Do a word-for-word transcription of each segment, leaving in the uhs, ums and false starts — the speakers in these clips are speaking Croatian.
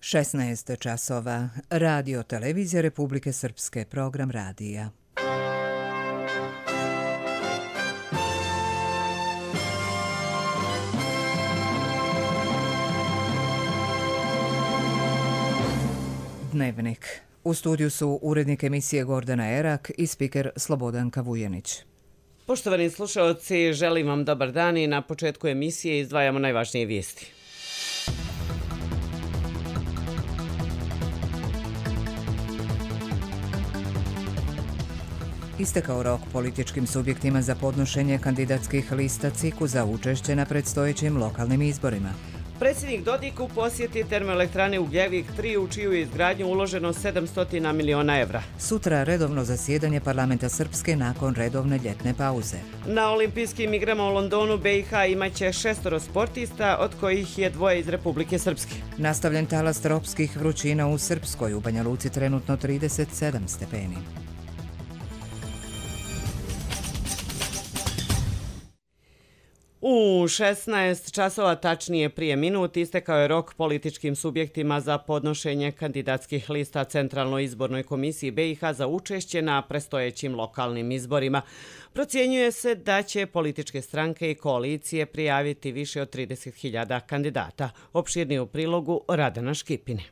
šesnaest časova. Radio Televizija Republike Srpske, program radija. Dnevnik. U studiju su urednik emisije Gordana Erak i spiker Slobodanka Vujanić. Poštovani slušalci, želim vam dobar dan i na početku emisije izdvajamo najvažnije vijesti. Istekao rok političkim subjektima za podnošenje kandidatskih lista C I K-u za učešće na predstojećim lokalnim izborima. Predsjednik Dodik u posjeti termoelektrane Ugljevik tri, u čiju je izgradnju uloženo sedamsto miliona evra. Sutra redovno zasjedanje parlamenta Srpske nakon redovne ljetne pauze. Na olimpijskim igrama u Londonu B i H imaće šestoro sportista, od kojih je dvoje iz Republike Srpske. Nastavljen talas tropskih vrućina u Srpskoj, u Banja Luci trenutno trideset sedam stepeni. U šesnaest časova, tačnije prije minut, istekao je rok političkim subjektima za podnošenje kandidatskih lista Centralnoj izbornoj komisiji B i H za učešće na predstojećim lokalnim izborima. Procjenjuje se da će političke stranke i koalicije prijaviti više od trideset hiljada kandidata. Opširnije u prilogu Radana Škipine.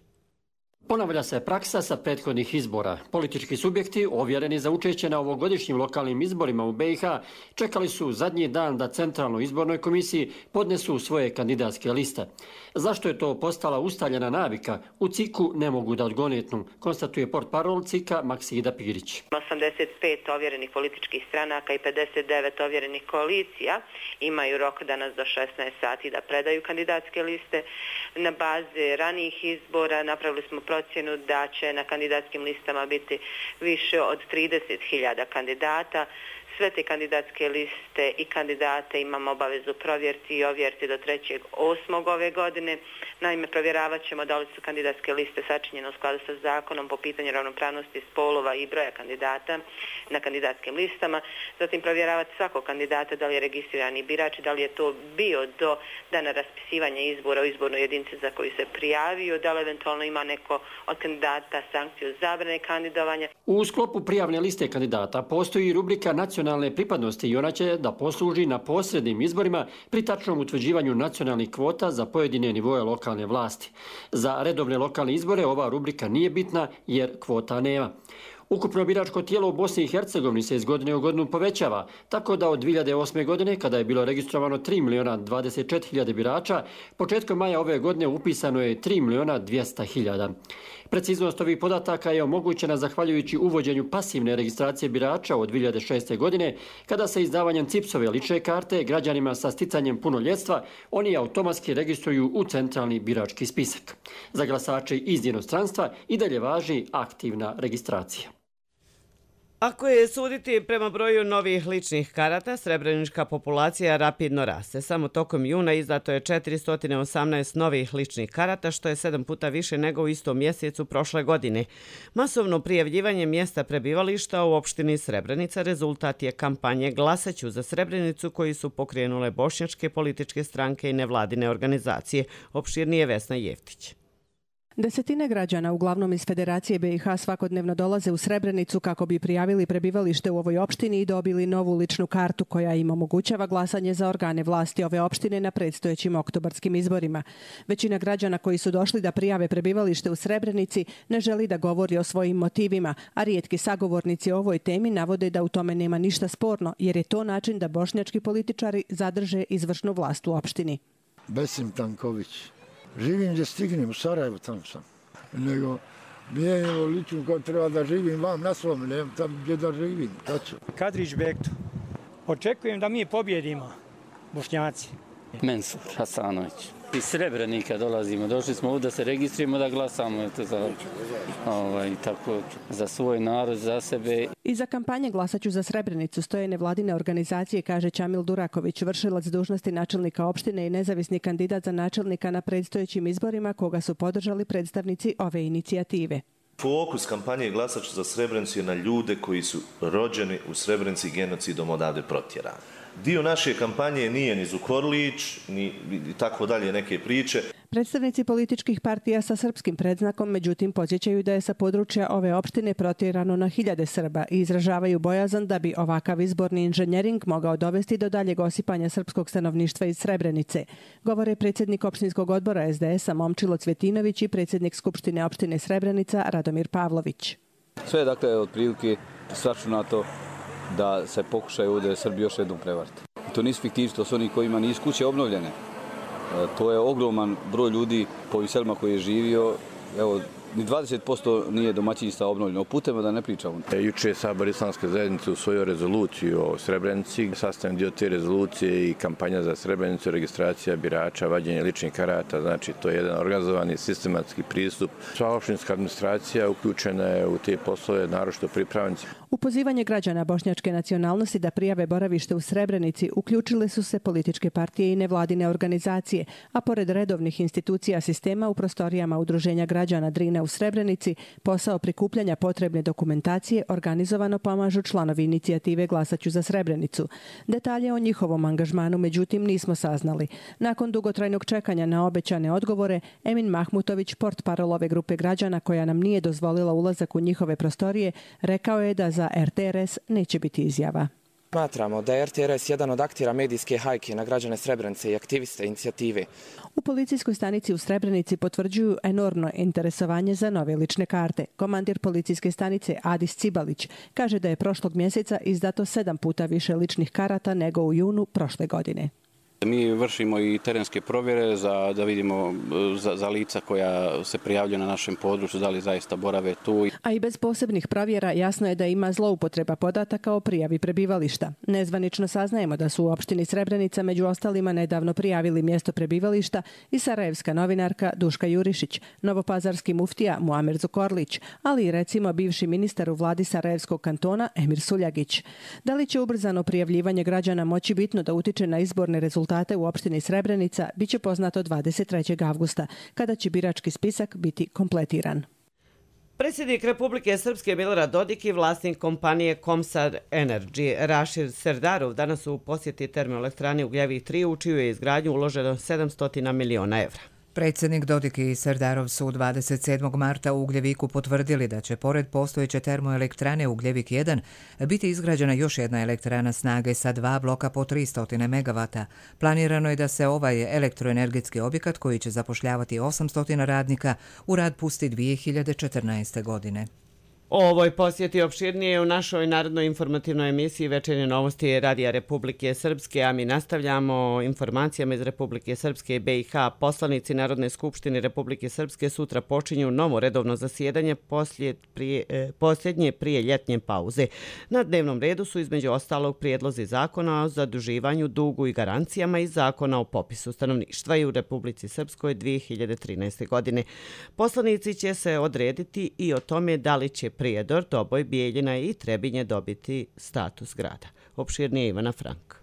Ponavlja se praksa sa prethodnih izbora. Politički subjekti, ovjereni za učešće na ovogodišnjim lokalnim izborima u B i H, čekali su zadnji dan da Centralnoj izbornoj komisiji podnesu svoje kandidatske liste. Zašto je to postala ustaljena navika, u C I K-u ne mogu da odgonetnu, konstatuje portparol C I K-a Maksida Pirić. osamdeset pet ovjerenih političkih stranaka i pedeset devet ovjerenih koalicija imaju rok danas do šesnaest sati da predaju kandidatske liste. Na bazi ranijih izbora napravili smo procjenu da će na kandidatskim listama biti više od trideset hiljada kandidata. Sve te kandidatske liste i kandidate imamo obavezu provjeriti i ovjeriti do trećeg osmog ove godine. Naime, provjeravat ćemo da li su kandidatske liste sačinjene u skladu sa zakonom po pitanju ravnopravnosti spolova i broja kandidata na kandidatskim listama. Zatim provjeravati svakog kandidata da li je registrirani birač, da li je to bio do dana raspisivanja izbora u izbornoj jedinici za koju se prijavio, da li eventualno ima neko od kandidata sankciju zabrane kandidovanja. U sklopu prijavne liste kandidata postoji rubrika nacionalne pripadnosti i ona će da posluži na posrednim izborima pri tačnom utvrđivanju nacionalnih kvota za pojedine nivoje lokalne vlasti. Za redovne lokalne izbore ova rubrika nije bitna jer kvota nema. Ukupno biračko tijelo u Bosni i Hercegovini se iz godine u godinu povećava, tako da od dvije hiljade osme. godine, kada je bilo registrovano tri miliona dvadeset četiri hiljade birača, početkom maja ove godine upisano je tri miliona dvjesto hiljada. Preciznost ovih podataka je omogućena zahvaljujući uvođenju pasivne registracije birača od dvije hiljade šeste. godine, kada se izdavanjem C I P S-ove lične karte građanima sa sticanjem punoljetstva oni automatski registruju u centralni birački spisak. Za glasače iz inostranstva i dalje važi aktivna registracija. Ako je suditi prema broju novih ličnih karata, srebrenička populacija rapidno raste. Samo tokom juna izdato je četiristo osamnaest novih ličnih karata, što je sedam puta više nego u istom mjesecu prošle godine. Masovno prijavljivanje mjesta prebivališta u opštini Srebrenica rezultat je kampanje Glasaću za Srebrenicu koji su pokrenule bošnjačke političke stranke i nevladine organizacije. Opširnije Vesna Jeftić. Desetine građana, uglavnom iz Federacije B i H, svakodnevno dolaze u Srebrenicu kako bi prijavili prebivalište u ovoj opštini i dobili novu ličnu kartu koja im omogućava glasanje za organe vlasti ove opštine na predstojećim oktobarskim izborima. Većina građana koji su došli da prijave prebivalište u Srebrenici ne želi da govori o svojim motivima, a rijetki sagovornici o ovoj temi navode da u tome nema ništa sporno, jer je to način da bošnjački političari zadrže izvršnu vlast u opštini. Besim Tanković. Živim gdje stignem, u Sarajevu tamo sam. Nego, nije lično kao treba da živim vam na svom, ne tam gdje da živim. Tačno. Kadrić Bekto. Očekujem da mi pobjedimo, Bošnjaci. Mensur Hasanović. Iz Srebrenika dolazimo. Došli smo ovdje da se registrujemo, da glasamo eto, za, ovaj, tako, za svoj narod, za sebe. Iza kampanje Glasaću za Srebrenicu stoje nevladine organizacije, kaže Čamil Duraković, vršilac dužnosti načelnika opštine i nezavisni kandidat za načelnika na predstojećim izborima, koga su podržali predstavnici ove inicijative. Fokus kampanje Glasaću za Srebrenicu je na ljude koji su rođeni u Srebrenici genocidom odavde protjerani. Dio naše kampanje nije ni Zukorlić, ni tako dalje neke priče. Predstavnici političkih partija sa srpskim predznakom međutim podsjećaju da je sa područja ove opštine protjerano na hiljade Srba i izražavaju bojazan da bi ovakav izborni inženjering mogao dovesti do daljeg osipanja srpskog stanovništva iz Srebrenice, govore predsjednik opštinskog odbora es de es a Momčilo Cvjetinović i predsjednik Skupštine opštine Srebrenica Radomir Pavlović. Sve je dakle otprilike sračunato da se pokušaju ovdje Srbi još jednom prevariti. To nisu fiktivci, to su oni kojima nisu kuće obnovljene. To je ogroman broj ljudi po ovim selima koji je živio. Evo, ni dvadeset posto nije domaćinstva obnovljeno. O putevima da ne pričamo. Juče je Sabor Islamske zajednice usvojio rezoluciju o Srebrenici. Sastavni dio te rezolucije i kampanja za Srebrenicu, registracija birača, vađenje ličnih karata. Znači, to je jedan organizovani sistematski pristup. Sva opštinska administracija uključena je u te poslove, naročito pripravnici. U pozivanje građana bošnjačke nacionalnosti da prijave boravište u Srebrenici uključile su se političke partije i nevladine organizacije, a pored redovnih institucija sistema u prostorijama Udruženja građana Drine u Srebrenici posao prikupljanja potrebne dokumentacije organizovano pomažu članovi inicijative Glasaću za Srebrenicu. Detalje o njihovom angažmanu međutim nismo saznali. Nakon dugotrajnog čekanja na obećane odgovore, Emin Mahmutović, portparol ove grupe građana koja nam nije dozvolila ulazak u njihove prostorije, rekao je da za er te er es neće biti izjava. Smatramo da je er te er es jedan od aktera medijske hajke na građane Srebrenice i aktiviste inicijative. U policijskoj stanici u Srebrenici potvrđuju enormno interesovanje za nove lične karte. Komandir policijske stanice Adis Cibalić kaže da je prošlog mjeseca izdato sedam puta više ličnih karata nego u junu prošle godine. Mi vršimo i terenske provjere za, da vidimo za, za lica koja se prijavljuju na našem području, da li zaista borave tu. A i bez posebnih provjera jasno je da ima zloupotreba podataka o prijavi prebivališta. Nezvanično saznajemo da su u opštini Srebrenica među ostalima nedavno prijavili mjesto prebivališta i sarajevska novinarka Duška Jurišić, novopazarski muftija Muamer Zukorlić, ali i recimo bivši ministar u vladi Sarajevskog kantona Emir Suljagić. Da li će ubrzano prijavljivanje građana moći bitno da utiče na izborne rezultate u opštini Srebrenica biće poznato dvadeset trećeg avgusta, kada će birački spisak biti kompletiran. Predsjednik Republike Srpske Milorad Dodik i vlasnik kompanije Komsar Energy Rašir Serdarov danas su u posjeti termoelektrani Ugljevik tri, u čiju je izgradnju uloženo sedamsto miliona evra. Predsjednik Dodik i Serdarov su dvadeset sedmog marta u Ugljeviku potvrdili da će pored postojeće termoelektrane Ugljevik jedan biti izgrađena još jedna elektrana snage sa dva bloka po tristo megavata. Planirano je da se ovaj elektroenergetski objekat, koji će zapošljavati osamsto radnika, u rad pusti dvije hiljade četrnaeste. godine. O ovoj posjeti opširnije u našoj narodnoj informativnoj emisiji Večernje novosti Radija Republike Srpske, a mi nastavljamo informacijama iz Republike Srpske i be i ha. Poslanici Narodne skupštine Republike Srpske sutra počinju novo redovno zasjedanje prije, eh, posljednje prije ljetnje pauze. Na dnevnom redu su između ostalog prijedlozi zakona o zaduživanju, dugu i garancijama i zakona o popisu stanovništva i u Republici Srpskoj dvije hiljade trinaeste. godine. Poslanici će se odrediti i o tome da li će Prijedor, Doboj, Bijeljina i Trebinje dobiti status grada. Opširnije Ivana Frank.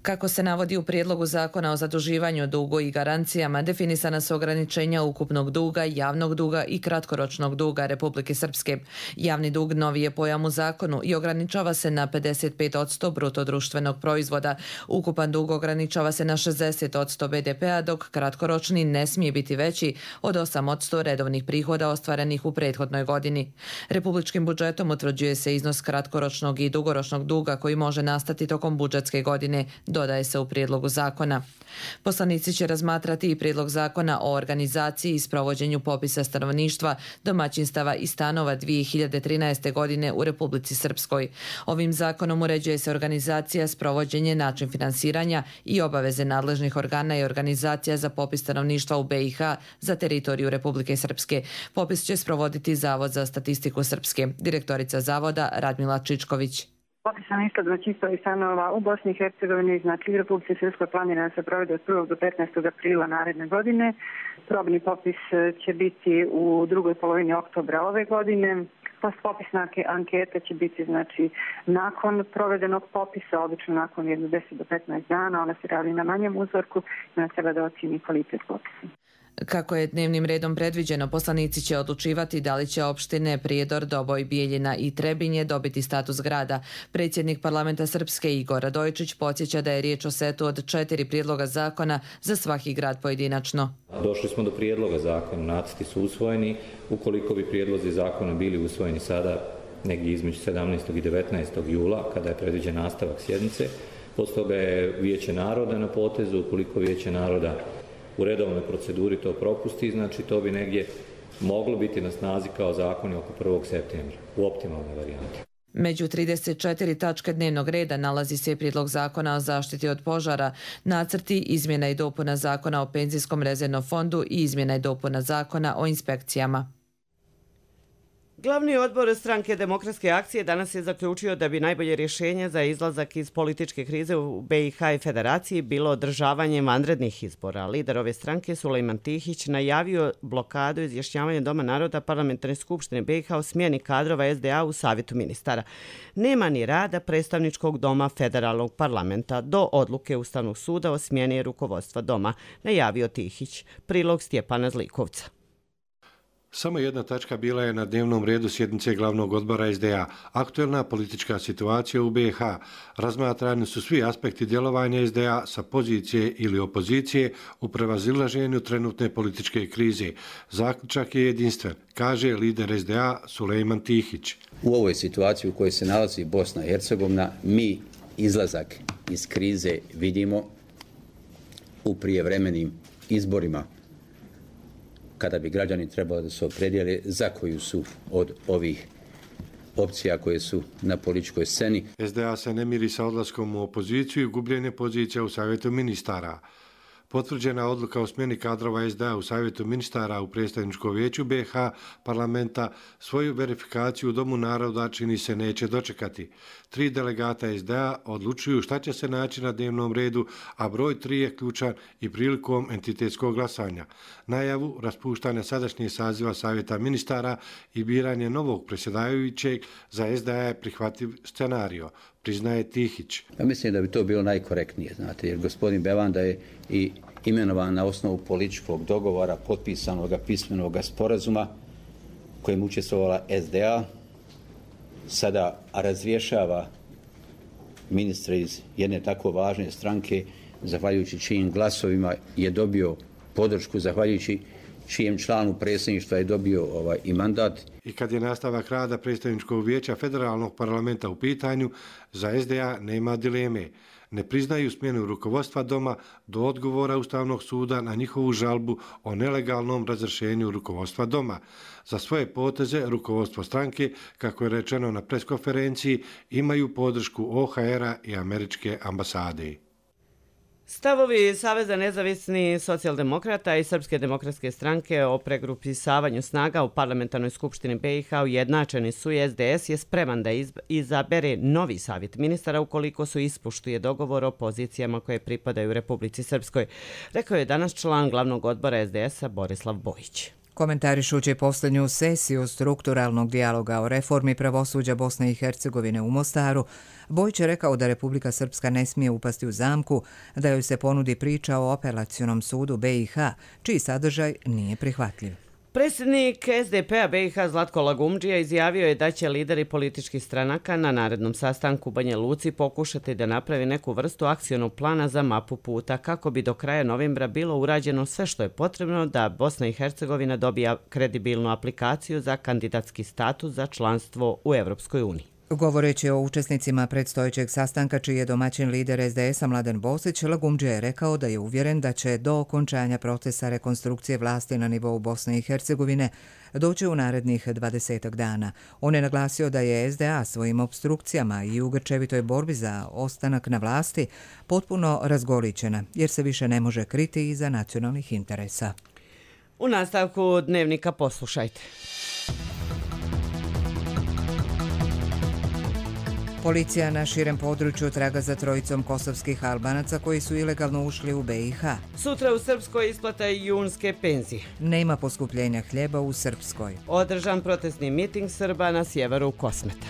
Kako se navodi u prijedlogu zakona o zaduživanju, dugu i garancijama, definisana su ograničenja ukupnog duga, javnog duga i kratkoročnog duga Republike Srpske. Javni dug novi je pojam u zakonu i ograničava se na pedeset pet posto bruto društvenog proizvoda. Ukupan dug ograničava se na šezdeset posto be de pea, dok kratkoročni ne smije biti veći od osam posto redovnih prihoda ostvarenih u prethodnoj godini. Republičkim budžetom utvrđuje se iznos kratkoročnog i dugoročnog duga koji može nastati tokom budžetske godine, dodaje se u prijedlogu zakona. Poslanici će razmatrati i prijedlog zakona o organizaciji i sprovođenju popisa stanovništva, domaćinstava i stanova dvije hiljade trinaeste. godine u Republici Srpskoj. Ovim zakonom uređuje se organizacija, sprovođenje, način finansiranja i obaveze nadležnih organa i organizacija za popis stanovništva u be i ha za teritoriju Republike Srpske. Popis će sprovoditi Zavod za statistiku Srpske. Direktorica Zavoda Radmila Čičković. Popis stanovništva, domaćinstava i stanova u Bosni i Hercegovini, znači u Republici Srpskoj, planira se provede od prvog do petnaestog aprila naredne godine. Probni popis će biti u drugoj polovini oktobra ove godine. Postpopisna anketa će biti znači nakon provedenog popisa, obično nakon jedno deset do petnaest dana. Ona se radi na manjem uzorku i ona treba da ocjeni kvalitet popisa. Kako je dnevnim redom predviđeno, poslanici će odlučivati da li će opštine Prijedor, Doboj, Bijeljina i Trebinje dobiti status grada. Predsjednik parlamenta Srpske Igor Radojičić podsjeća da je riječ o setu od četiri prijedloga zakona za svaki grad pojedinačno. Došli smo do prijedloga zakona, nacrti su usvojeni. Ukoliko bi prijedlozi zakona bili usvojeni sada negdje između sedamnaestog i devetnaestog jula, kada je predviđen nastavak sjednice, poslije toga je Vijeće naroda na potezu. Ukoliko Vijeće naroda u redovnoj proceduri to propusti, znači to bi negdje moglo biti na snazi kao zakoni oko prvog septembra, u optimalnoj varijanti. Među trideset četiri tačke dnevnog reda nalazi se prijedlog zakona o zaštiti od požara, nacrti izmjena i dopuna zakona o penzijskom rezervnom fondu i izmjena i dopuna zakona o inspekcijama. Glavni odbor stranke Demokratske akcije danas je zaključio da bi najbolje rješenje za izlazak iz političke krize u B i H i Federaciji bilo održavanje vanrednih izbora. Lider ove stranke Sulejman Tihić najavio blokadu izjašnjavanja Doma naroda Parlamentarne skupštine B i H o smjeni kadrova S D A u Savjetu ministara. Nema ni rada predstavničkog doma federalnog parlamenta do odluke Ustavnog suda o smjeni rukovodstva doma, najavio Tihić. Prilog Stjepana Zlikovca. Samo jedna tačka bila je na dnevnom redu sjednice glavnog odbora S D A. Aktuelna politička situacija u B i H. Razmatrani su svi aspekti djelovanja S D A sa pozicije ili opozicije u prevazilaženju trenutne političke krize. Zaključak je jedinstven, kaže lider S D A Sulejman Tihić. U ovoj situaciji u kojoj se nalazi Bosna i Hercegovina, mi izlazak iz krize vidimo u prijevremenim izborima, kada bi građani trebali da se opredijele za koju su od ovih opcija koje su na političkoj sceni. S D A se ne miri sa odlaskom u opoziciju i gubljenje pozicija u Savjetu ministara. Potvrđena odluka o smjeni kadrova S D A u Savjetu ministara u predstavničkom vijeću B i H parlamenta svoju verifikaciju u Domu naroda čini se neće dočekati. Tri delegata S D A odlučuju šta će se naći na dnevnom redu, a broj tri je ključan i prilikom entitetskog glasanja. Najavu raspuštanja sadašnjeg saziva Savjeta ministara i biranje novog predsjedavajućeg za S D A je prihvatljiv scenario, priznaje Tihić. Ja mislim da bi to bilo najkorektnije, znate, jer gospodin Bevanda je i imenovan na osnovu političkog dogovora, potpisanog pismenog sporazuma kojim učestvovala S D A, sada razrješava ministra iz jedne tako važne stranke, zahvaljujući čijim glasovima je dobio podršku, zahvaljujući čijem članu predsjedništva je dobio ovaj, i mandat. I kad je nastavak rada predstavničkog vijeća federalnog parlamenta u pitanju, za S D A nema dileme. Ne priznaju smjenu rukovodstva doma do odgovora Ustavnog suda na njihovu žalbu o nelegalnom razrješenju rukovodstva doma. Za svoje poteze rukovodstvo stranke, kako je rečeno na preskonferenciji, imaju podršku O H R-a i američke ambasade. Stavovi Saveza nezavisnih socijaldemokrata i Srpske demokratske stranke o pregrupisavanju snaga u parlamentarnoj skupštini B i H ujednačeni su i S D S je spreman da izabere novi savjet ministara ukoliko su ispoštuje dogovor o pozicijama koje pripadaju Republici Srpskoj, rekao je danas član glavnog odbora S D S-a Borislav Bojić. Komentarišući posljednju sesiju strukturalnog dijaloga o reformi pravosuđa Bosne i Hercegovine u Mostaru, Bojić je rekao da Republika Srpska ne smije upasti u zamku, da joj se ponudi priča o apelacionom sudu B i H, čiji sadržaj nije prihvatljiv. Predsjednik S D P-a B i H Zlatko Lagumdžija izjavio je da će lideri političkih stranaka na narednom sastanku u Banja Luci pokušati da napravi neku vrstu akcionog plana za mapu puta kako bi do kraja novembra bilo urađeno sve što je potrebno da Bosna i Hercegovina dobija kredibilnu aplikaciju za kandidatski status za članstvo u Evropskoj uniji. Govoreći o učesnicima predstojećeg sastanka, čiji je domaćin lider S D S-a Mladen Bosić, Lagumdžija je rekao da je uvjeren da će do okončanja procesa rekonstrukcije vlasti na nivou Bosne i Hercegovine doći u narednih dvadesetak dana. On je naglasio da je S D A svojim obstrukcijama i u grčevitoj borbi za ostanak na vlasti potpuno razgolićena, jer se više ne može kriti iza nacionalnih interesa. U nastavku dnevnika poslušajte. Policija na širem području traga za trojicom kosovskih Albanaca koji su ilegalno ušli u B i H. Sutra u Srpskoj isplata junske penzije. Nema poskupljenja hljeba u Srpskoj. Održan protestni miting Srba na sjeveru Kosmeta.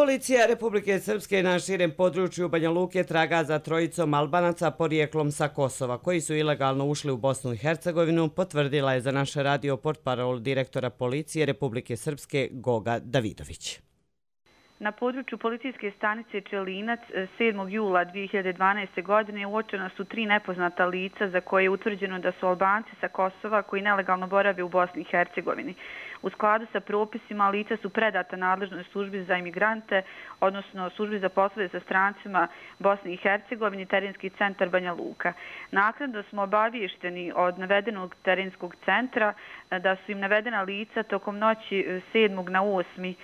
Policija Republike Srpske na širem području Banja Luke traga za trojicom Albanaca porijeklom sa Kosova, koji su ilegalno ušli u Bosnu i Hercegovinu, potvrdila je za naš radio portparol direktora Policije Republike Srpske Goga Davidović. Na području policijske stanice Čelinac sedmog jula dvije hiljade dvanaeste. godine uočena su tri nepoznata lica za koje je utvrđeno da su Albanci sa Kosova koji nelegalno borave u Bosni i Hercegovini. U skladu sa propisima lica su predata nadležnoj službi za imigrante, odnosno službi za poslove sa strancima Bosni i Hercegovini, terenski centar Banja Luka. Naknadno smo obavješteni od navedenog terenskog centra da su im navedena lica tokom noći sedmog na osmi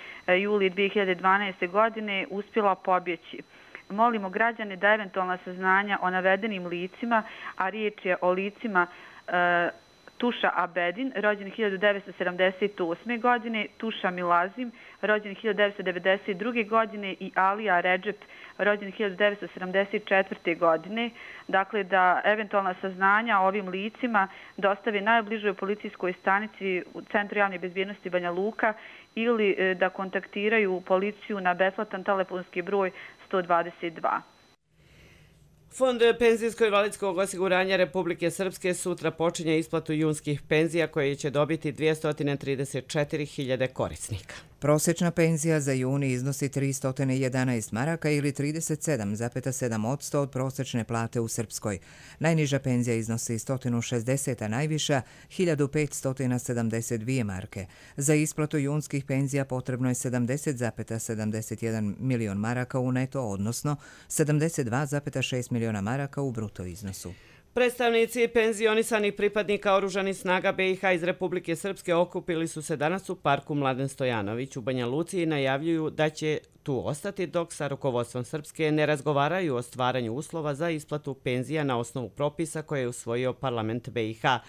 juli dvije hiljade dvanaeste. godine uspjela pobjeći. Molimo građane da eventualna saznanja o navedenim licima, a riječ je o licima e, Tuša Abedin, rođen hiljadu devetsto sedamdeset osme. godine, Tuša Milazim, rođen hiljadu devetsto devedeset druge. godine i Alija Redžep, rođen hiljadu devetsto sedamdeset četvrte. godine. Dakle, da eventualna saznanja o ovim licima dostave najbližoj policijskoj stanici u Centru javne bezbjednosti Banja Luka ili da kontaktiraju policiju na besplatan telefonski broj sto dvadeset dva. Fond penzijsko-invalidskog osiguranja Republike Srpske sutra počinje isplatu junskih penzija koje će dobiti dvjesto trideset četiri hiljade korisnika. Prosječna penzija za juni iznosi tristo jedanaest maraka ili trideset sedam zarez sedam posto od prosječne plate u Srpskoj. Najniža penzija iznosi sto šezdeset, a najviša hiljadu petsto sedamdeset dvije marke. Za isplatu junskih penzija potrebno je sedamdeset zarez sedamdeset jedan milion maraka u neto, odnosno sedamdeset dva zarez šest miliona maraka u bruto iznosu. Predstavnici penzionisanih pripadnika Oružanih snaga B i H iz Republike Srpske okupili su se danas u parku Mladen Stojanović u Banja Luci i najavljuju da će tu ostati dok sa rukovodstvom Srpske ne razgovaraju o stvaranju uslova za isplatu penzija na osnovu propisa koje je usvojio parlament B i H.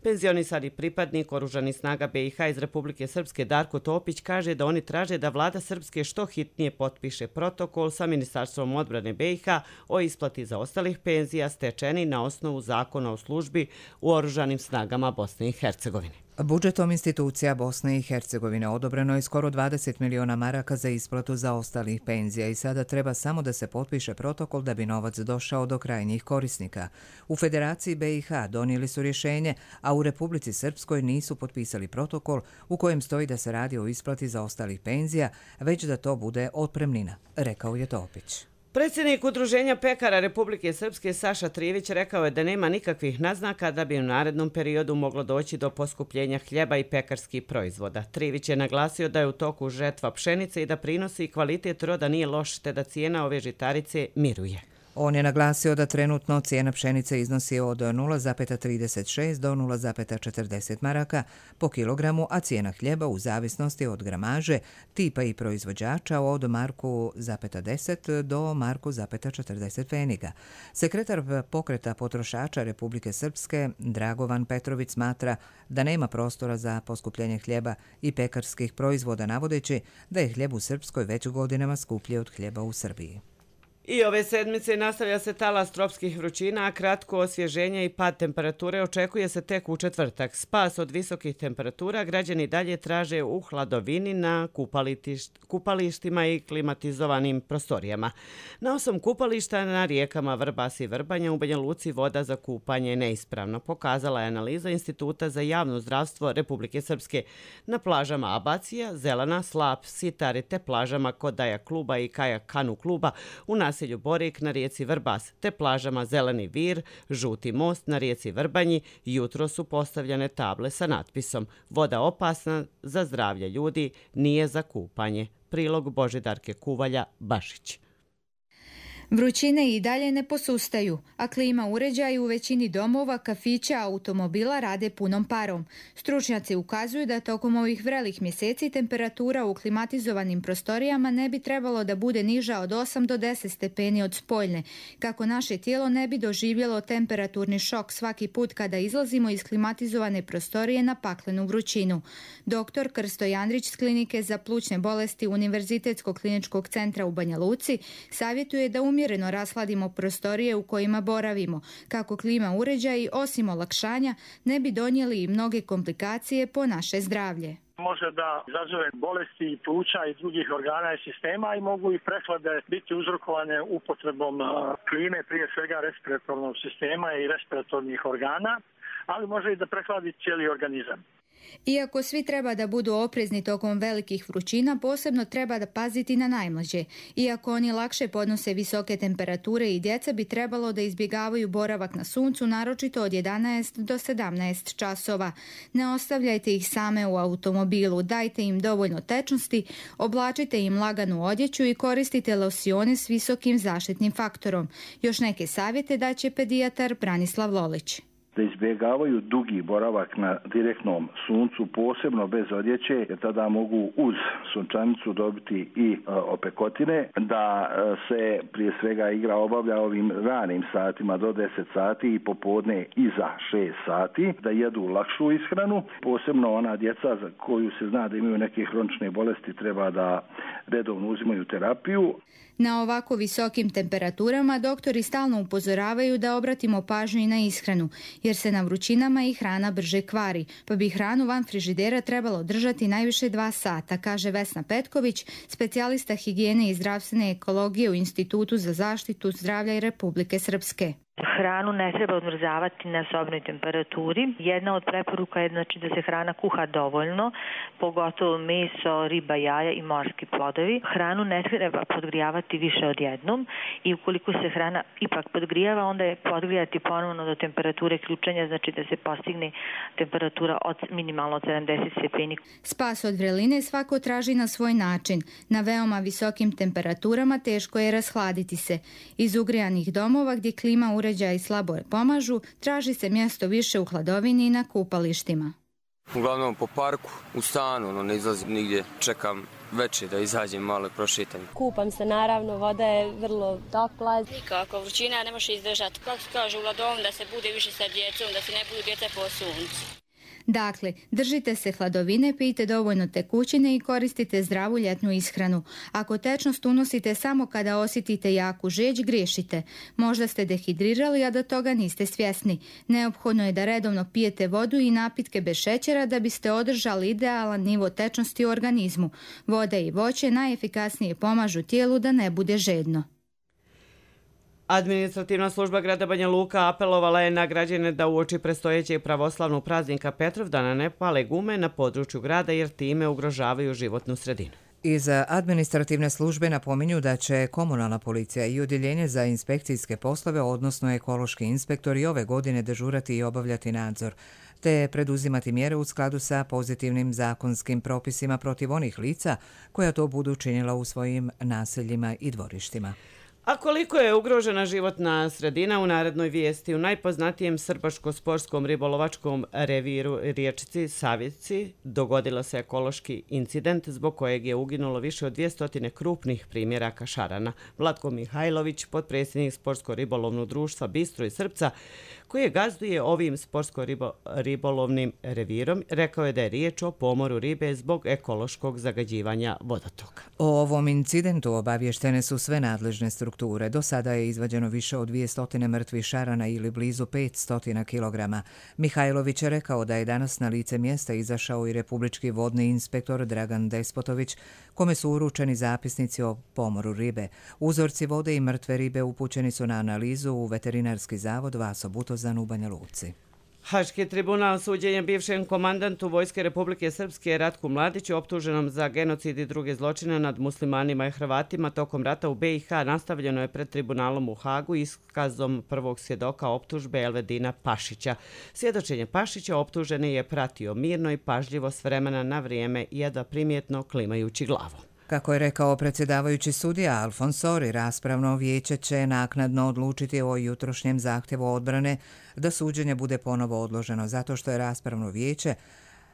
Penzionisani pripadnik Oružanih snaga B i H iz Republike Srpske Darko Topić kaže da oni traže da vlada Srpske što hitnije potpiše protokol sa Ministarstvom odbrane B i H o isplati zaostalih penzija stečeni na osnovu zakona o službi u Oružanim snagama Bosne i Hercegovine. Budžetom institucija Bosne i Hercegovine odobreno je skoro dvadeset miliona maraka za isplatu zaostalih penzija i sada treba samo da se potpiše protokol da bi novac došao do krajnjih korisnika. U Federaciji B i H donijeli su rješenje, a u Republici Srpskoj nisu potpisali protokol u kojem stoji da se radi o isplati zaostalih penzija, već da to bude otpremnina, rekao je Topić. Predsjednik Udruženja pekara Republike Srpske Saša Trivić rekao je da nema nikakvih naznaka da bi u narednom periodu moglo doći do poskupljenja hljeba i pekarskih proizvoda. Trivić je naglasio da je u toku žetva pšenice i da prinosi i kvalitet roda nije loš te da cijena ove žitarice miruje. On je naglasio da trenutno cijena pšenice iznosi od nula zarez trideset šest do nula zarez četrdeset maraka po kilogramu, a cijena hljeba u zavisnosti od gramaže, tipa i proizvođača od marku zarez deset do marku zarez četrdeset pfeniga. Sekretar pokreta potrošača Republike Srpske Dragovan Petrović smatra da nema prostora za poskupljenje hljeba i pekarskih proizvoda, navodeći da je hljeb u Srpskoj već godinama skuplji od hljeba u Srbiji. I ove sedmice nastavlja se talas tropskih vrućina, a kratko osvježenje i pad temperature očekuje se tek u četvrtak. Spas od visokih temperatura građani dalje traže u hladovini na kupalištima i klimatizovanim prostorijama. Na osam kupališta na rijekama Vrbas i Vrbanja u Banja Luci voda za kupanje je neispravna, pokazala je analiza Instituta za javno zdravstvo Republike Srpske. Na plažama Abacija, Zelana, Slap, Sitari te plažama Kodaja kluba i Kajak kanu kluba u nas naselju Borik na rijeci Vrbas, te plažama Zeleni Vir, Žuti most na rijeci Vrbanji, jutro su postavljene table sa natpisom "Voda opasna za zdravlje ljudi, nije za kupanje". Prilog Božidarke Kuvalja Bašić. Vrućine i dalje ne posustaju, a klima uređaji u većini domova, kafića, automobila rade punom parom. Stručnjaci ukazuju da tokom ovih vrelih mjeseci temperatura u klimatizovanim prostorijama ne bi trebalo da bude niža od osam do deset stepeni od spoljne, kako naše tijelo ne bi doživjelo temperaturni šok svaki put kada izlazimo iz klimatizovane prostorije na paklenu vrućinu. Doktor Krsto Jandrić s klinike za plućne bolesti Univerzitetskog kliničkog centra u Banja Luci savjetuje da umjesto umjereno rashladimo prostorije u kojima boravimo, kako klima uređaji, osim olakšanja, ne bi donijeli i mnoge komplikacije po naše zdravlje. Može da izazove bolesti i pluća i drugih organa i sistema i mogu i prehlade biti uzrokovane upotrebom klime, prije svega respiratornog sistema i respiratornih organa, ali može i da prehladi cijeli organizam. Iako svi treba da budu oprezni tokom velikih vrućina, posebno treba da paziti na najmlađe. Iako oni lakše podnose visoke temperature i djeca bi trebalo da izbjegavaju boravak na suncu, naročito od jedanaest do sedamnaest časova. Ne ostavljajte ih same u automobilu, dajte im dovoljno tečnosti, oblačite im laganu odjeću i koristite losione s visokim zaštitnim faktorom. Još neke savjete daće pedijatar Branislav Lolić. Da izbjegavaju dugi boravak na direktnom suncu, posebno bez odjeće, jer tada mogu uz sunčanicu dobiti i e, opekotine, da e, se prije svega igra obavlja ovim ranim satima do deset sati i popodne iza šest sati, da jedu lakšu ishranu, posebno ona djeca za koju se zna da imaju neke hronične bolesti treba da redovno uzimaju terapiju. Na ovako visokim temperaturama doktori stalno upozoravaju da obratimo pažnju i na ishranu, jer se na vrućinama i hrana brže kvari, pa bi hranu van frižidera trebalo držati najviše dva sata, kaže Vesna Petković, specijalista higijene i zdravstvene ekologije u Institutu za zaštitu zdravlja i Republike Srpske. Hranu ne treba odmrzavati na sobnoj temperaturi. Jedna od preporuka je znači da se hrana kuha dovoljno, pogotovo meso, riba, jaja i morski plodovi. Hranu ne treba podgrijavati više od jednom i ukoliko se hrana ipak podgrijava, onda je podgrijati ponovno do temperature ključanja, znači da se postigne temperatura od minimalno od sedamdeset stepeni. Spas od vreline svako traži na svoj način. Na veoma visokim temperaturama teško je rashladiti se. Iz ugrijanih domova gdje klima uređaja i slabo pomažu, traži se mjesto više u hladovini i na kupalištima. Uglavnom po parku, u stanu, no ne izlazim nigdje, čekam večer da izađem malo i prošetam. Kupam se naravno, voda je vrlo topla. Nikako, vrućina ne može izdržati. Kako se kaže u hladovini da se bude više sa djecom, da se ne budu djeca po suncu. Dakle, držite se hladovine, pijte dovoljno tekućine i koristite zdravu ljetnu ishranu. Ako tečnost unosite samo kada osjetite jaku žeđ, griješite. Možda ste dehidrirali, a da toga niste svjesni. Neophodno je da redovno pijete vodu i napitke bez šećera da biste održali idealan nivo tečnosti u organizmu. Voda i voće najefikasnije pomažu tijelu da ne bude žedno. Administrativna služba grada Banja Luka apelovala je na građane da uoči predstojećeg pravoslavnog praznika Petrovdana ne pale gume na području grada jer time ugrožavaju životnu sredinu. Iz administrativne službe napominju da će komunalna policija i odjeljenje za inspekcijske poslove, odnosno ekološki inspektori, ove godine dežurati i obavljati nadzor, te preduzimati mjere u skladu sa pozitivnim zakonskim propisima protiv onih lica koja to budu činila u svojim naseljima i dvorištima. A koliko je ugrožena životna sredina u narednoj vijesti u najpoznatijem srbaško-sportskom ribolovačkom reviru riječici Savici dogodila se ekološki incident zbog kojeg je uginulo više od dvjesto krupnih primjeraka šarana. Vlatko Mihajlović, potpredsjednik Sportsko-ribolovnog društva Bistro i Srpca, koji gazduje ovim sportsko-ribolovnim revirom, rekao je da je riječ o pomoru ribe zbog ekološkog zagađivanja vodotoka. O ovom incidentu obavještene su sve nadležne strukture. Do sada je izvađeno više od dvjesto mrtvih šarana ili blizu petsto kilograma. Mihajlović je rekao da je danas na lice mjesta izašao i republički vodni inspektor Dragan Despotović, kome su uručeni zapisnici o pomoru ribe. Uzorci vode i mrtve ribe upućeni su na analizu u Veterinarski zavod Vaso Butozan u Banja Luci. Haški tribunal suđenjem bivšem komandantu Vojske Republike Srpske Ratku Mladiću, optuženom za genocid i druge zločine nad muslimanima i Hrvatima tokom rata u B i H, nastavljeno je pred tribunalom u Hagu iskazom prvog svjedoka optužbe Elvedina Pašića. Svjedočenje Pašića optuženi je pratio mirno i pažljivo s vremena na vrijeme, jedva primjetno klimajući glavom. Kako je rekao predsjedavajući sudija Alfonsori, raspravno vijeće će naknadno odlučiti o jutrošnjem zahtjevu odbrane da suđenje bude ponovo odloženo zato što je raspravno vijeće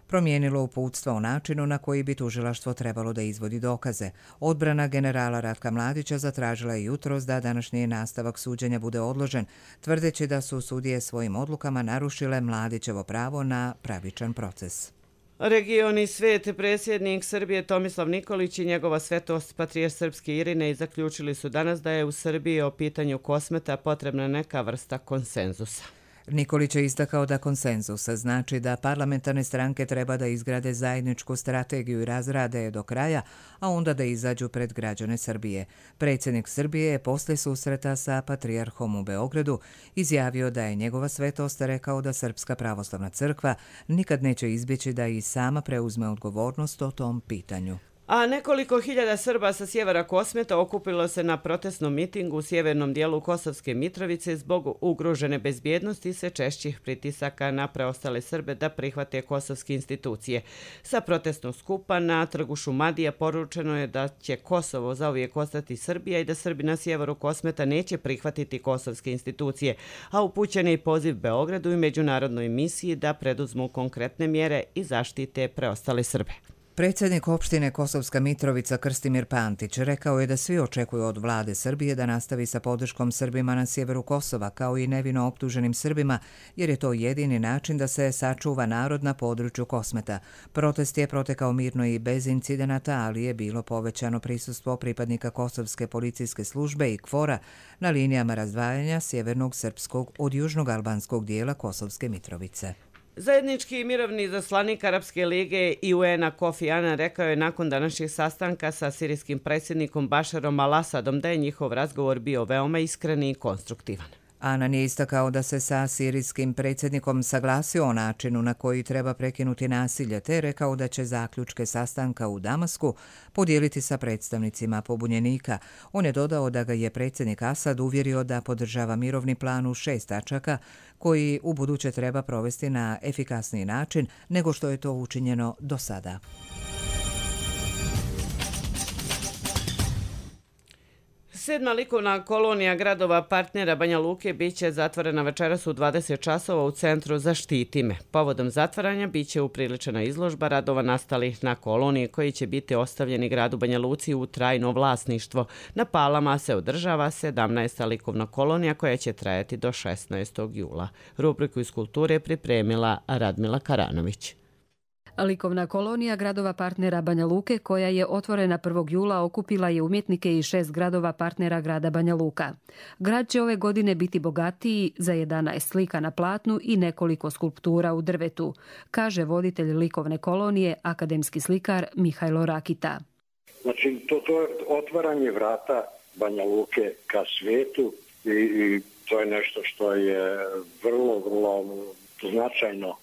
promijenilo uputstva o načinu na koji bi tužilaštvo trebalo da izvodi dokaze. Odbrana generala Ratka Mladića zatražila je jutros da današnji nastavak suđenja bude odložen, tvrdeći da su sudije svojim odlukama narušile Mladićevo pravo na pravičan proces. Region i svet, predsjednik Srbije Tomislav Nikolić i njegova svetost patrijarh srpski Irinej zaključili su danas da je u Srbiji o pitanju Kosmeta potrebna neka vrsta konsenzusa. Nikolić je istakao da konsenzus znači da parlamentarne stranke treba da izgrade zajedničku strategiju i razrade je do kraja, a onda da izađu pred građane Srbije. Predsjednik Srbije je posle susreta sa patrijarhom u Beogradu izjavio da je njegova svetost rekao da Srpska pravoslavna crkva nikad neće izbjeći da i sama preuzme odgovornost o tom pitanju. A nekoliko hiljada Srba sa sjevera Kosmeta okupilo se na protestnom mitingu u sjevernom dijelu Kosovske Mitrovice zbog ugrožene bezbjednosti i sve češćih pritisaka na preostale Srbe da prihvate kosovske institucije. Sa protestnog skupa na trgu Šumadija poručeno je da će Kosovo zauvijek ostati Srbija i da Srbi na sjeveru Kosmeta neće prihvatiti kosovske institucije, a upućen je i poziv Beogradu i međunarodnoj misiji da preduzmu konkretne mjere i zaštite preostale Srbe. Predsjednik opštine Kosovska Mitrovica Krstimir Pantić rekao je da svi očekuju od vlade Srbije da nastavi sa podrškom Srbima na sjeveru Kosova, kao i nevino optuženim Srbima, jer je to jedini način da se sačuva narod na području Kosmeta. Protest je protekao mirno i bez incidenata, ali je bilo povećano prisustvo pripadnika Kosovske policijske službe i KFOR-a na linijama razdvajanja sjevernog srpskog od južnog albanskog dijela Kosovske Mitrovice. Zajednički mirovni zaslanik Arapske lige i U N-a Kofi Annan rekao je nakon današnjeg sastanka sa sirijskim predsjednikom Bašarom al-Asadom da je njihov razgovor bio veoma iskren i konstruktivan. Annan je istakao da se sa sirijskim predsjednikom saglasio o načinu na koji treba prekinuti nasilje, te rekao da će zaključke sastanka u Damasku podijeliti sa predstavnicima pobunjenika. On je dodao da ga je predsjednik Asad uvjerio da podržava mirovni plan u šest tačaka, koji u buduće treba provesti na efikasniji način nego što je to učinjeno do sada. Sedma likovna kolonija gradova partnera Banja Luke biće zatvorena večeras u dvadeset časova u centru Zaštiti me. Povodom zatvaranja biće upriličena izložba radova nastalih na koloniji koji će biti ostavljeni gradu Banja Luci u trajno vlasništvo. Na Palama se održava sedamnaesta likovna kolonija koja će trajati do šesnaestog jula. Rubriku iz kulture pripremila Radmila Karanović. Likovna kolonija gradova partnera Banja Luke, koja je otvorena prvog jula, okupila je umjetnike iz šest gradova partnera grada Banja Luka. Grad će ove godine biti bogatiji za jedanaest slika na platnu i nekoliko skulptura u drvetu, kaže voditelj likovne kolonije, akademski slikar Mihajlo Rakita. Znači, to, to je otvaranje vrata Banja Luke ka svijetu i, i to je nešto što je vrlo, vrlo značajno.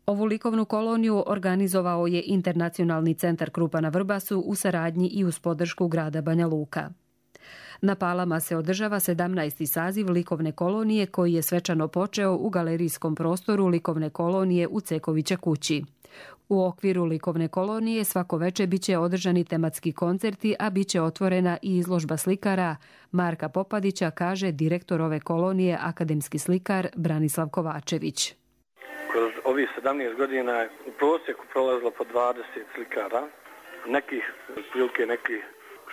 Ovu likovnu koloniju organizovao je Internacionalni centar Krupa na Vrbasu u saradnji i uz podršku grada Banja Luka. Na Palama se održava sedamnaesti saziv likovne kolonije koji je svečano počeo u galerijskom prostoru likovne kolonije u Cekovića kući. U okviru likovne kolonije svako veče biće održani tematski koncerti, a biće otvorena i izložba slikara Marka Popadića, kaže direktor ove kolonije, akademski slikar Branislav Kovačević. Kroz ovih sedamnaest godina je u prosjeku prolazilo po dvadeset slikara, nekih prilike nekih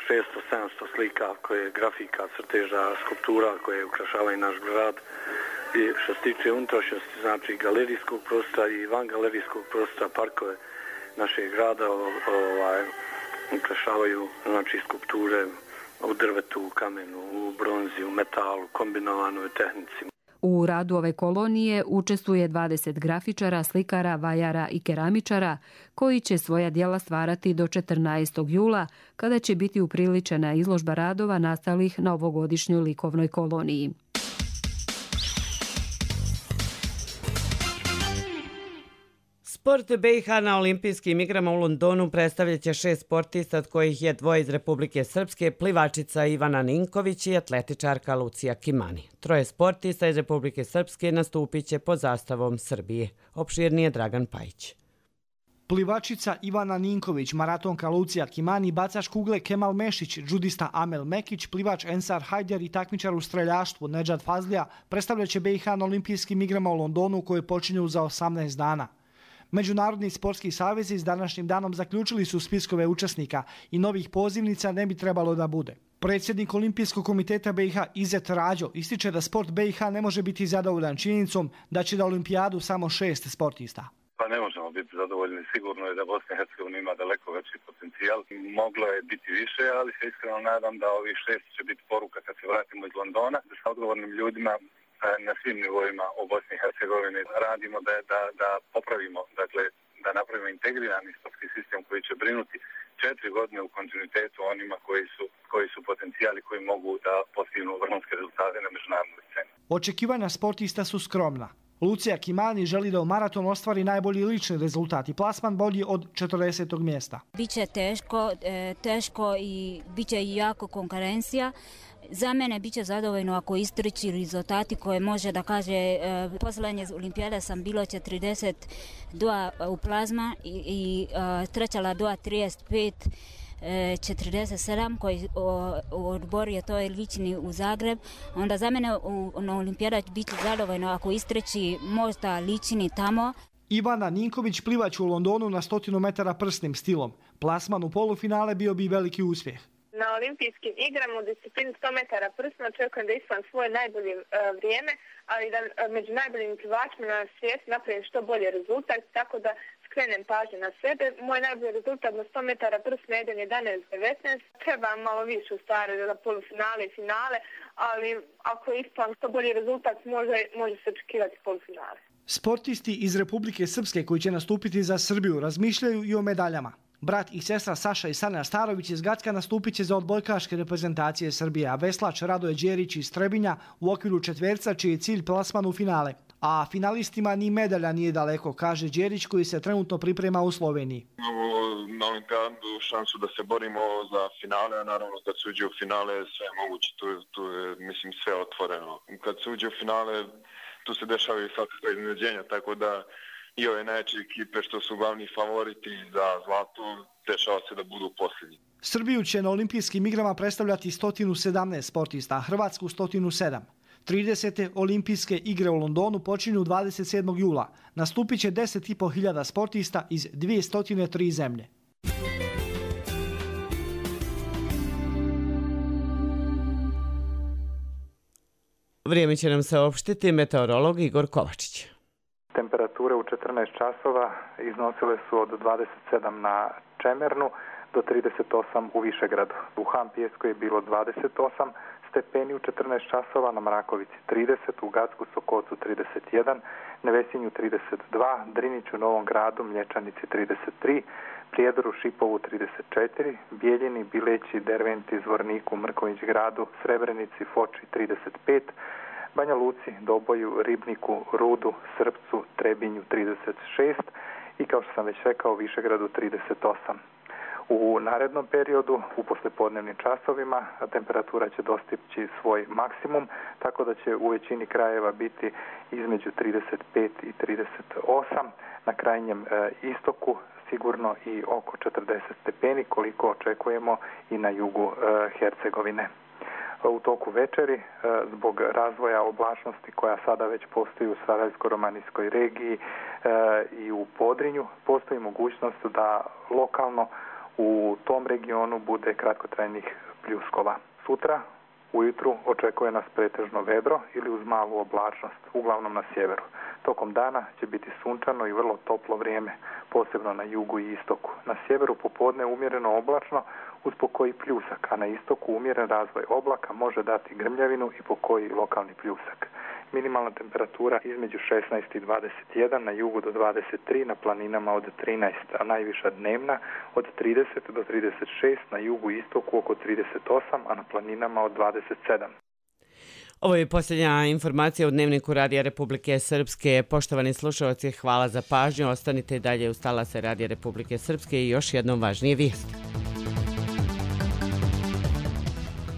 šesto sedamsto slika koje grafika, crteža, skulptura koje ukrašavaju naš grad. I što se tiče unutrašnjosti, znači galerijskog prostora i van galerijskog prostora, parkove našeg grada ovaj, ukrašavaju znači skulpture u drvetu, u kamenu, u bronzi, u metalu, kombinovanoj tehnici. U radu ove kolonije učestvuje dvadeset grafičara, slikara, vajara i keramičara koji će svoja djela stvarati do četrnaestog jula, kada će biti upriličena izložba radova nastalih na ovogodišnjoj likovnoj koloniji. Sport B iH na olimpijskim igrama u Londonu predstavljat će šest sportista, od kojih je dvoje iz Republike Srpske, plivačica Ivana Ninković i atletičarka Lucija Kimani. Troje sportista iz Republike Srpske nastupit će pod zastavom Srbije. Opširnije Dragan Pajić. Plivačica Ivana Ninković, maratonka Lucija Kimani, bacač kugle Kemal Mešić, džudista Amel Mekić, plivač Ensar Hajder i takmičar u streljaštvu Nedžad Fazlija predstavljat će B iH na olimpijskim igrama u Londonu koje počinju za osamnaest dana. Međunarodni sportski savezi s današnjim danom zaključili su spiskove učesnika i novih pozivnica ne bi trebalo da bude. Predsjednik Olimpijskog komiteta B iH Izet Rađo ističe da sport B iH ne može biti zadovoljan činjenicom da će na olimpijadu samo šest sportista. Pa ne možemo biti zadovoljni. Sigurno je da Bosna i Hercegovina ima daleko veći potencijal. Moglo je biti više, ali se iskreno nadam da ovih šest će biti poruka kad se vratimo iz Londona, da sa odgovornim ljudima na svim nivoima u Bosni i Hercegovini radimo da, da, da popravimo, dakle, da napravimo integrirani sportski sistem koji će brinuti četiri godine u kontinuitetu onima koji su, koji su potencijali koji mogu da postignu vrhunske rezultate na međunarodnoj sceni. Očekivanja sportista su skromna. Lucija Kimani želi da u maratonu ostvari najbolji lični rezultat i plasman bolji od četrdesetog mjesta. Biće teško, teško i biće i jako konkurencija. Za mene biće zadovoljno ako istriči rezultati koje može da kaže poslednje olimpijade sam bilo četrdeset dva u plazma i, i trećala dva trideset pet četrdeset sedam koji odbor je to lični u Zagreb. Onda za mene u, na olimpijada biće zadovoljno ako istreći možda lični tamo. Ivana Ninković plivač u Londonu na stotinu metara prsnim stilom. Plasman u polufinale bio bi veliki uspjeh. Na olimpijskim igrama u disciplini sto metara prsno očekujem da ispan svoje najbolje uh, vrijeme, ali da uh, među najboljim plivačima na svijetu napravim što bolje rezultat, tako da skrenem pažnju na sebe. Moj najbolji rezultat na sto metara prsno je jedan jedanaest devetnaest. Treba malo više u stvari za polufinale i finale, ali ako ispan što bolji rezultat može, može se očekivati polufinale. Sportisti iz Republike Srpske koji će nastupiti za Srbiju razmišljaju i o medaljama. Brat i sestra Saša i Sanja Starović iz Gacka nastupit će za odbojkaške reprezentacije Srbije, a veslač Radoje Đerić iz Trebinja u okviru četverca čiji je cilj plasman u finale. A finalistima ni medalja nije daleko, kaže Đerić koji se trenutno priprema u Sloveniji. Imamo na olimpijadu šansu da se borimo za finale, a naravno kad se uđe u finale sve je moguće, tu, tu je mislim sve otvoreno. Kad se uđe u finale tu se dešavaju svakakve iznenađenja, tako da i ove najjače ekipe što su glavni favoriti za zlato, dešava se da budu posljednji. Srbiju će na olimpijskim igrama predstavljati sto sedamnaest sportista, a Hrvatsku sto sedam. tridesete olimpijske igre u Londonu počinju dvadeset sedmog jula. Nastupit će deset i po hiljada sportista iz dvjesto tri zemlje. Vrijeme će nam saopštiti meteorolog Igor Kovačić. Temperature u četrnaest časova iznosile su od dvadeset sedam na Čemernu do trideset osam u Višegradu. U Hampijesku je bilo dvadeset osam stepeni u četrnaest časova, na Mrakovici trideset, u Gacku Sokocu trideset jedan, Nevesinju trideset dva, Driniću, Novom Gradu, Mlječanici trideset tri, Prijedoru, Šipovu trideset četiri, Bijeljini, Bileći, Derventi, Zvorniku, Mrković Gradu, Srebrenici, Foči trideset pet, Banja Luci, Doboju, Ribniku, Rudu, Srpcu, Trebinju trideset šest i kao što sam već rekao Višegradu trideset osam. U narednom periodu, u poslijepodnevnim časovima, temperatura će dostići svoj maksimum, tako da će u većini krajeva biti između trideset pet i trideset osam, na krajnjem e, istoku sigurno i oko četrdeset stepeni, koliko očekujemo i na jugu e, Hercegovine. U toku večeri, zbog razvoja oblačnosti koja sada već postoji u Sarajevsko-romanijskoj regiji i u Podrinju, postoji mogućnost da lokalno u tom regionu bude kratkotrajnih pljuskova. Sutra ujutru očekuje nas pretežno vedro ili uz malu oblačnost, uglavnom na sjeveru. Tokom dana će biti sunčano i vrlo toplo vrijeme, posebno na jugu i istoku. Na sjeveru popodne umjereno oblačno uz pokoji pljusak, a na istoku umjeren razvoj oblaka može dati grmljavinu i pokoji lokalni pljusak. Minimalna temperatura između šesnaest i dvadeset jedan, na jugu do dvadeset tri, na planinama od trinaest, a najviša dnevna od trideset do trideset šest, na jugu i istoku oko trideset osam, a na planinama od dvadeset sedam. Ovo je posljednja informacija u Dnevniku Radija Republike Srpske. Poštovani slušalci, hvala za pažnju. Ostanite dalje uz talase Radija Republike Srpske i još jednom važnije vijesti.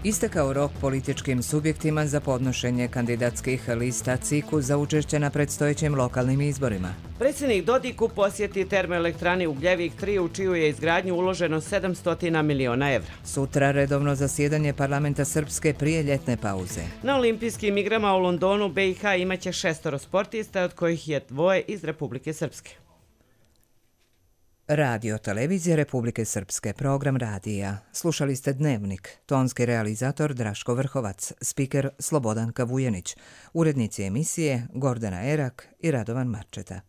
Istekao rok političkim subjektima za podnošenje kandidatskih lista C I K-u za učešće na predstojećim lokalnim izborima. Predsjednik Dodiku posjeti termoelektrani Ugljevik tri u čiju je izgradnju uloženo sedamsto miliona evra. Sutra redovno zasjedanje parlamenta Srpske prije ljetne pauze. Na olimpijskim igrama u Londonu B i H imaće šestoro sportista, od kojih je dvoje iz Republike Srpske. Radio Televizije Republike Srpske, program radija. Slušali ste Dnevnik, tonski realizator Draško Vrhovac, spiker Slobodanka Vujenić, urednici emisije Gordana Erak i Radovan Marčeta.